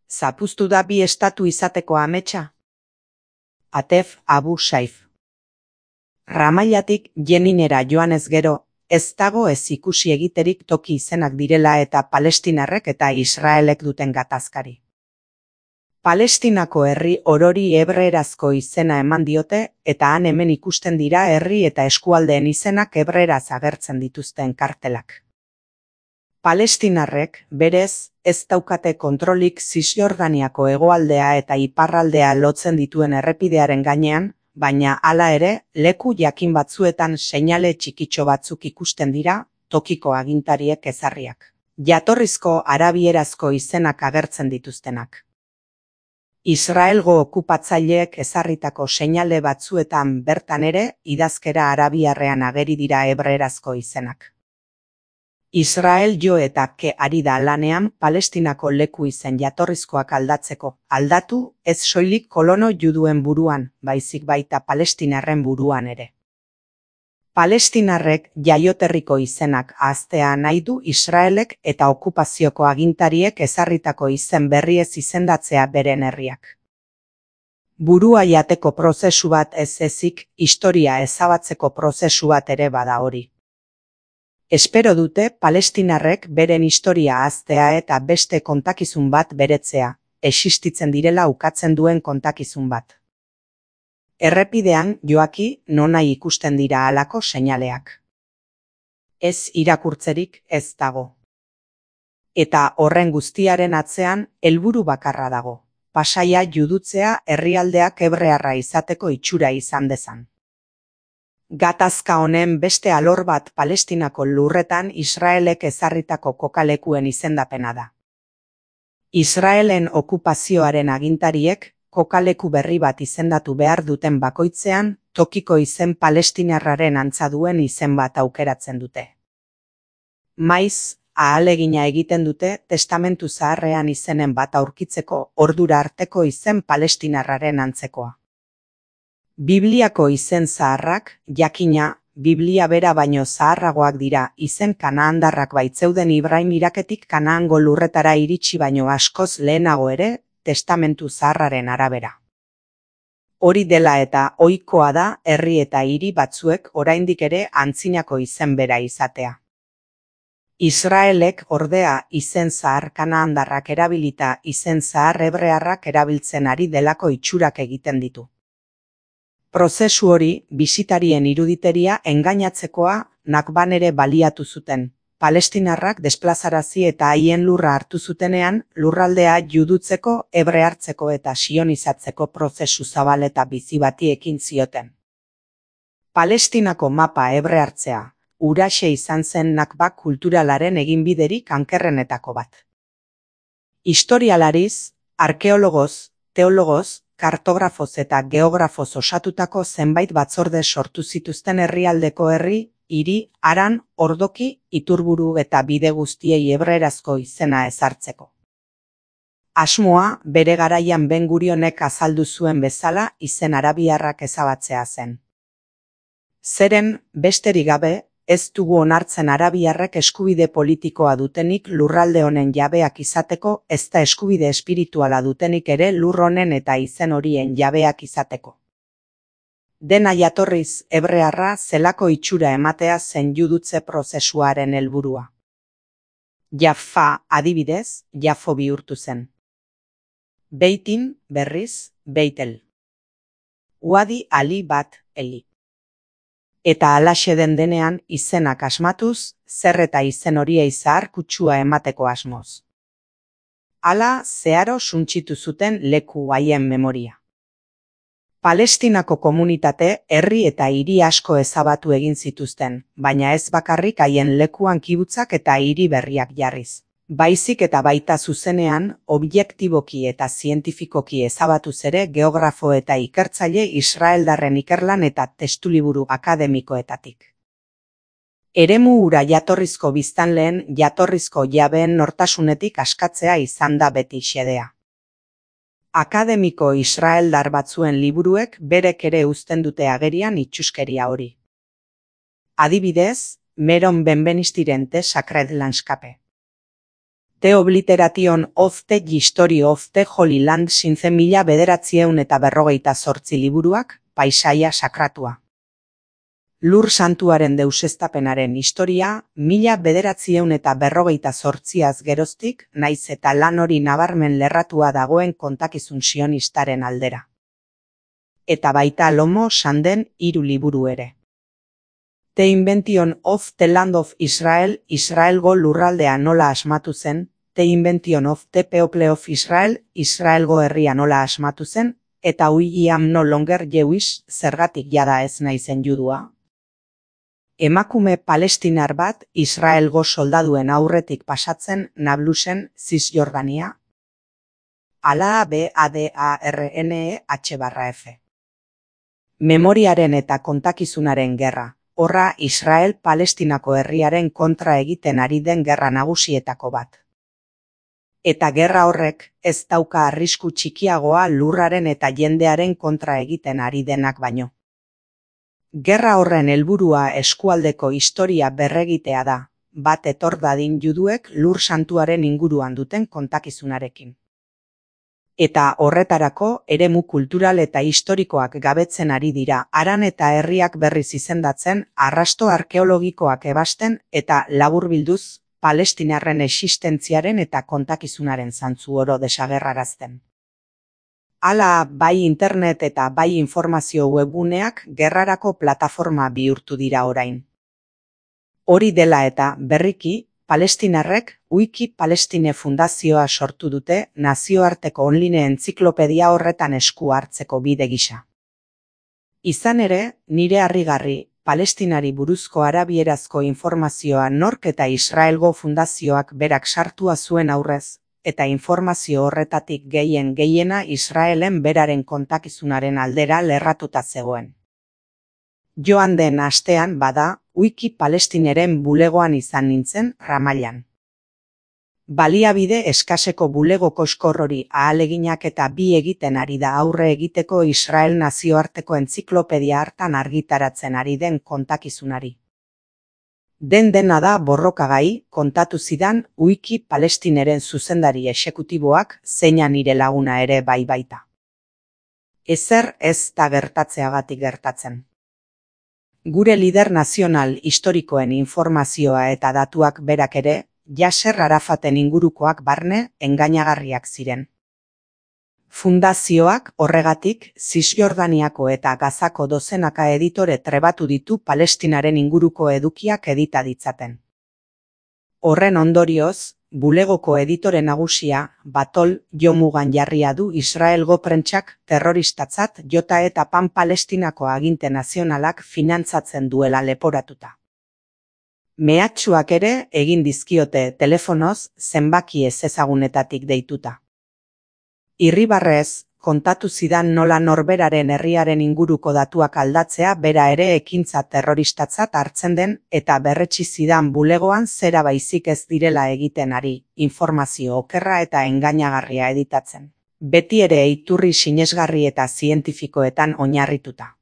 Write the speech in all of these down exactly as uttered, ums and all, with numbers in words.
Zapuztu da bi estatu izateko ametsa? Atef Abu Saif. Ramailatik Jeninera joanez gero, ez dago ez ikusi egiterik toki izenak direla eta Palestinarrek eta Israelek duten gatazkari. Palestinako herri orori hebreerazko izena eman diote eta han hemen ikusten dira herri eta eskualdeen izenak hebreeraz agertzen dituzten kartelak. Palestinarrek, berez, ez daukate kontrolik Zisjordaniako hegoaldea eta iparraldea lotzen dituen errepidearen gainean, baina hala ere, leku jakin batzuetan seinale txikitxo batzuk ikusten dira, tokiko agintariek ezarriak. Jatorrizko arabierazko izenak agertzen dituztenak. Israelgo okupatzaileek ezarritako seinale batzuetan bertan ere, idazkera arabiarrean ageri dira hebreerazko izenak. Israel jo eta ke ari da lanean Palestinako leku izen jatorrizkoak aldatzeko, aldatu ez soilik kolono juduen buruan, baizik baita palestinarren buruan ere. Palestinarrek jaioterriko izenak ahaztea nahi du Israelek eta okupazioko agintariek ezarritako izen berriez izendatzea beren herriak. Burua jateko prozesu bat ez ezik, historia ezabatzeko prozesu bat ere bada hori. Espero dute Palestinarrek beren historia ahaztea eta beste kontakizun bat beretzea, existitzen direla ukatzen duen kontakizun bat. Errepidean joaki nonai ikusten dira halako seinaleak. Ez irakurtzerik ez dago. Eta horren guztiaren atzean helburu bakarra dago, Pasaia judutzea herrialdeak hebrearra izateko itxura izan dezan. Gatazka honen beste alor bat Palestinako lurretan Israelek ezarritako kokalekuen izendapena da. Israelen okupazioaren agintariek kokaleku berri bat izendatu behar duten bakoitzean, tokiko izen palestinarraren antza duen izen bat aukeratzen dute. Maiz, ahalegina egiten dute testamentu zaharrean izenen bat aurkitzeko ordura arteko izen palestinarraren antzekoa. Bibliako izen zaharrak, jakina, Biblia bera baino zaharragoak dira, izen kanaandarrak baitzeuden Ibrahim iraketik Kanaango lurretara iritsi baino askoz lehenago ere, testamentu zaharraren arabera. Hori dela eta ohikoa da herri eta hiri batzuek oraindik ere antzinako izen bera izatea. Israelek ordea izen zahar kanaandarrak erabilita izen zahar hebrearrak erabiltzen ari delako itxurak egiten ditu. Prozesu hori, bisitarien iruditeria engainatzekoa Nakban ere baliatu zuten. Palestinarrak desplazarazi eta haien lurra hartu zutenean, lurraldea judutzeko, hebreartzeko eta sionizatzeko prozesu zabal eta bizi bati ekin zioten. Palestinako mapa hebreartzea, huraxe izan zen Nakba kulturalaren eginbiderik ankerrenetako bat. Historialariz, arkeologoz, teologoz, kartografoz eta geografoz osatutako zenbait batzorde sortu zituzten herrialdeko herri, hiri, haran, ordoki, iturburu eta bide guztiei hebreerazko izena ezartzeko. Asmoa, bere garaian Ben Gurionek azaldu zuen bezala izen arabiarrak ezabatzea zen. Zeren, besterik gabe, ez dugu onartzen arabiarrek eskubide politikoa dutenik lurralde honen jabeak izateko, ezta eskubide espirituala dutenik ere lur honen eta izen horien jabeak izateko. Dena jatorriz hebrearra zelako itxura ematea zen judutze prozesuaren helburua. Jaffa adibidez, Jafo bihurtu zen. Beitin, berriz, Beitel. Uadi ali bat eli. Eta halaxe den denean izenak asmatuz, zer eta izen horiei zahar kutsua emateko asmoz. Hala zeharo suntsitu zuten leku haien memoria. Palestinako komunitate herri eta hiri asko ezabatu egin zituzten, baina ez bakarrik haien lekuan kibutzak eta hiri berriak jarriz. Baizik eta baita zuzenean, objektiboki eta zientifikoki ezabatuz ere geografo eta ikertzaile israeldarren ikerlan eta testuliburu akademikoetatik. Eremu hura jatorrizko biztanleen jatorrizko jabeen nortasunetik askatzea izan da beti xedea. Akademiko israeldar batzuen liburuek berek ere uzten dute agerian itxuskeria hori. Adibidez, Meron Benvenistiren The Sacred Landscape. The Obliteration of the History of the Holy Land sinze mila bederatzieun eta berrogeita zortzi liburuak, paisaia sakratua. Lur santuaren deusestapenaren historia, mila bederatzieun eta berrogeita zortziaz geroztik, naiz eta lan hori nabarmen lerratua dagoen kontakizun sionistaren aldera. Eta baita lomo sanden hiru liburu ere. The Invention of the Land of Israel, Israelgo lurraldea nola asmatu zen, The Invention of the People of Israel, Israelgo herria nola asmatu zen, eta I am no longer Jewish, zergatik jada ez naizen judua. Emakume palestinar bat Israelgo soldaduen aurretik pasatzen Nablusen, Cisjordania. Ala B A D A R N E H barra F. Memoriaren eta kontakizunaren gerra. Horra Israel Palestinako herriaren kontra egiten ari den gerra nagusietako bat. Eta gerra horrek ez dauka arrisku txikiagoa lurraren eta jendearen kontra egiten ari denak baino. Gerra horren helburua eskualdeko historia berregitea da, bat etor dadin juduek lur santuaren inguruan duten kontakizunarekin. Eta horretarako eremu kultural eta historikoak gabetzen ari dira, haran eta herriak berriz izendatzen, arrasto arkeologikoak ebasten eta laburbilduz, palestinarren existentziaren eta kontakizunaren zantzu oro desagerrarazten. Hala, bai internet eta bai informazio webguneak gerrarako plataforma bihurtu dira orain. Hori dela eta berriki, palestinarrek Wiki Palestine Fundazioa sortu dute nazioarteko online entziklopedia horretan esku hartzeko bide gisa. Izan ere, nire harrigarri, Palestinari buruzko arabierazko informazioa nork eta Israelgo Fundazioak berak sartua zuen aurrez, eta informazio horretatik gehien gehiena Israelen beraren kontakizunaren aldera lerratuta zegoen. Joan den astean bada, Wiki Palestineren bulegoan izan nintzen Ramallan. Baliabide eskaseko bulego koskor hori ahaleginak eta bi egiten ari da aurre egiteko Israel nazioarteko entziklopedia hartan argitaratzen ari den kontakizunari. Den dena da borrokagai, kontatu zidan Wiki Palestineren zuzendari exekutiboak zeina nire laguna ere bai baita. Ezer ez da gertatzeagatik gertatzen. Gure lider nazional historikoen informazioa eta datuak berak ere, Yasser Arafaten ingurukoak barne engainagarriak ziren. Fundazioak horregatik Cisjordaniako eta Gazako dozenaka editore trebatu ditu Palestinaren inguruko edukiak edita ditzaten. Horren ondorioz, bulegoko editore nagusia, Batol Jomugan jarria du Israelgo prentsak terroristatzat jota eta Pan Palestinako aginte nazionalak finantzatzen duela leporatuta. Mehatxuak ere egin dizkiote telefonoz zenbaki ezezagunetatik deituta. Irribarrez, kontatu zidan nola norberaren herriaren inguruko datuak aldatzea bera ere ekintza terroristatzat hartzen den eta berretsi zidan bulegoan zera baizik ez direla egiten ari, informazio okerra eta engainagarria editatzen. Beti ere iturri sinesgarri eta zientifikoetan oinarrituta.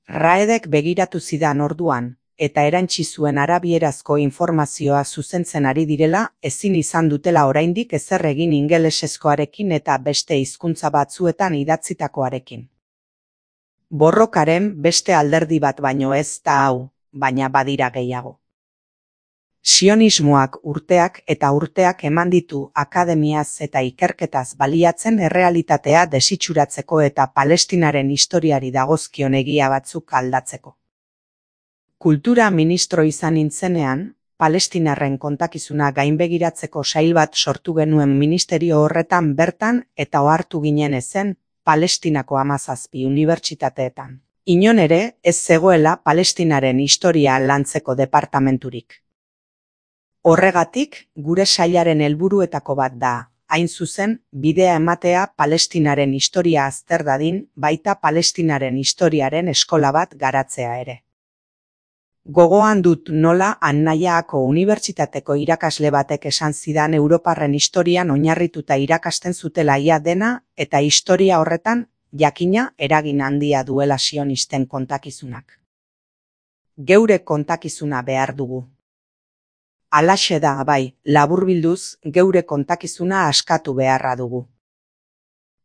Raedek begiratu zidan orduan, eta erantsi zuen arabierazko informazioa zuzentzen ari direla, ezin izan dutela oraindik ezer egin ingelesezkoarekin eta beste hizkuntza batzuetan idatzitakoarekin. Borrokaren beste alderdi bat baino ez da hau, baina badira gehiago. Sionismoak urteak eta urteak eman ditu akademiaz eta ikerketaz baliatzen errealitatea desitxuratzeko eta Palestinaren historiari dagozkion egia batzuk aldatzeko. Kultura ministro izan nintzenean, Palestinarren kontakizuna gainbegiratzeko sail bat sortu genuen ministerio horretan bertan eta ohartu ginen ezen Palestinako hamazazpi unibertsitateetan. Inon ere ez zegoela Palestinaren historia lantzeko departamenturik. Horregatik, gure sailaren helburuetako bat da, hain zuzen, bidea ematea Palestinaren historia azter dadin, baita Palestinaren historiaren eskola bat garatzea ere. Gogoan dut nola Annaiaako unibertsitateko irakasle batek esan zidan Europarren historian oinarrituta irakasten zutela ia dena eta historia horretan jakina eragin handia duela sionisten kontakizunak. Geure kontakizuna behar dugu. Halaxe da, bai, laburbilduz, geure kontakizuna askatu beharra dugu.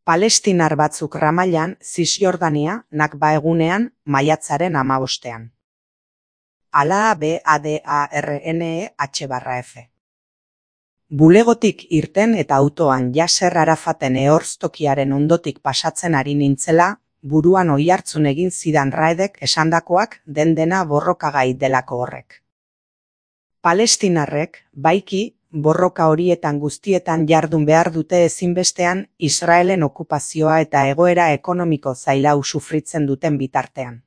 Palestinar batzuk Ramailan, Zisjordania, Nakba egunean, maiatzaren hamabostean. Ala B A D A R N E H barra F. Bulegotik irten eta autoan Yasser Arafaten ehorztokiaren ondotik pasatzen ari nintzela, buruan oihartzun egin zidan Raedek esandakoak den dena borrokagai delako horrek. Palestinarrek, baiki, borroka horietan guztietan jardun behar dute ezinbestean Israelen okupazioa eta egoera ekonomiko zailau sufritzen duten bitartean.